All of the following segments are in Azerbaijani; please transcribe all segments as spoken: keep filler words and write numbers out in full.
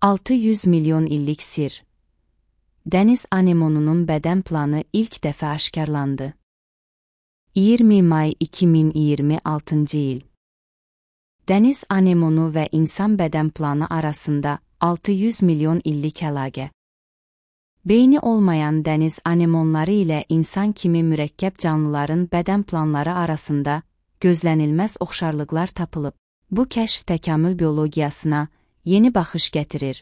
altı yüz milyon illik sir. Dəniz anemonunun bədən planı ilk dəfə aşkarlandı. iyirmi may iki min iyirmi altıncı il. Dəniz anemonu və insan bədən planı arasında altı yüz milyon illik əlaqə. Beyni olmayan dəniz anemonları ilə insan kimi mürəkkəb canlıların bədən planları arasında gözlənilməz oxşarlıqlar tapılıb. Bu kəşf təkamül biologiyasına yeni baxış gətirir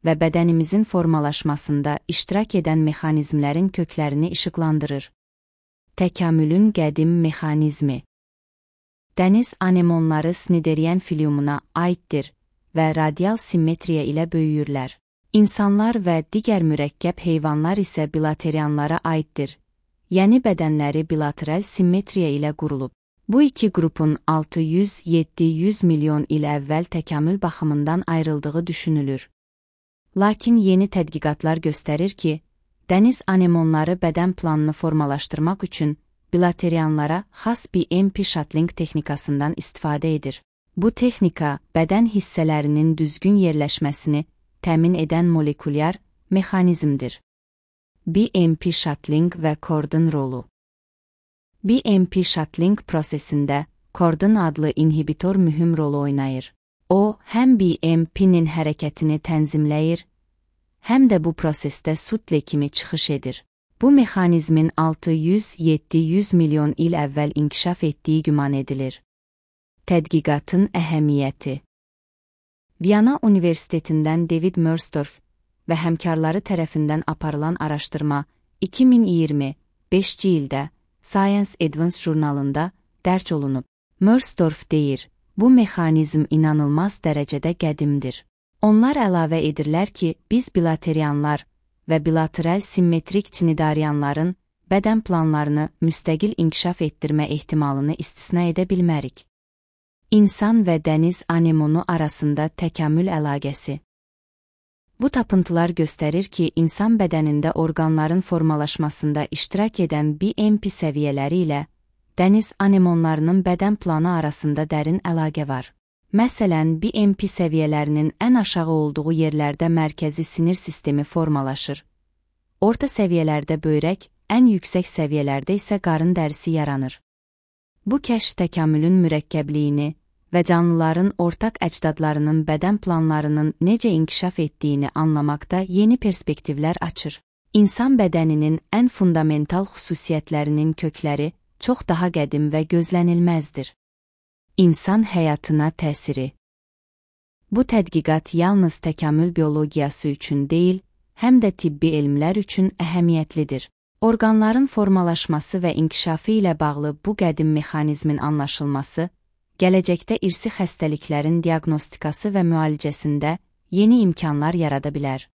və bədənimizin formalaşmasında iştirak edən mexanizmlərin köklərini işıqlandırır. Təkamülün qədim mexanizmi. Dəniz anemonları Cnidarian filiumuna aiddir və radial simmetriya ilə böyüyürlər. İnsanlar və digər mürəkkəb heyvanlar isə bilaterianlara aiddir, yəni bədənləri bilateral simmetriya ilə qurulub. Bu iki qrupun altı yüz yeddi yüz milyon il əvvəl təkamül baxımından ayrıldığı düşünülür. Lakin yeni tədqiqatlar göstərir ki, dəniz anemonları bədən planını formalaşdırmaq üçün bilaterianlara xas B M P shuttling texnikasından istifadə edir. Bu texnika bədən hissələrinin düzgün yerləşməsini təmin edən molekulyar mexanizmdir. B M P shuttling və kordon rolu. B M P shuttling prosesində kordon adlı inhibitor mühüm rol oynayır. O, həm B M P-nin hərəkətini tənzimləyir, həm də bu prosesdə sutle kimi çıxış edir. Bu mexanizmin altı yüz yeddi yüz milyon il əvvəl inkişaf etdiyi güman edilir. Tədqiqatın əhəmiyyəti. Viyana Universitetindən David Mersdorf və həmkarları tərəfindən aparılan araşdırma iki min iyirmi beşinci ildə Science Advance jurnalında dərc olunub. Mersdorf deyir, bu mexanizm inanılmaz dərəcədə qədimdir. Onlar əlavə edirlər ki, biz bilaterianlar və bilateral simmetrik cnidarianların bədən planlarını müstəqil inkişaf etdirmə ehtimalını istisna edə bilmərik. İnsan və dəniz anemonu arasında təkamül əlaqəsi. Bu tapıntılar göstərir ki, insan bədənində orqanların formalaşmasında iştirak edən B M P səviyyələri ilə dəniz anemonlarının bədən planı arasında dərin əlaqə var. Məsələn, B M P səviyyələrinin ən aşağı olduğu yerlərdə mərkəzi sinir sistemi formalaşır. Orta səviyyələrdə böyrək, ən yüksək səviyyələrdə isə qarın dərisi yaranır. Bu kəşf təkamülün mürəkkəbliyini və canlıların ortaq əcdadlarının bədən planlarının necə inkişaf etdiyini anlamaqda yeni perspektivlər açır. İnsan bədəninin ən fundamental xüsusiyyətlərinin kökləri çox daha qədim və gözlənilməzdir. İnsan həyatına təsiri. Bu tədqiqat yalnız təkamül biologiyası üçün deyil, həm də tibbi elmlər üçün əhəmiyyətlidir. Orqanların formalaşması və inkişafı ilə bağlı bu qədim mexanizmin anlaşılması, gələcəkdə irsi xəstəliklərin diaqnostikası və müalicəsində yeni imkanlar yarada bilər.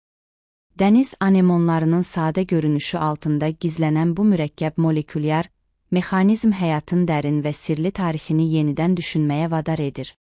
Dəniz anemonlarının sadə görünüşü altında gizlənən bu mürəkkəb molekulyar mexanizm həyatın dərin və sirli tarixini yenidən düşünməyə vadar edir.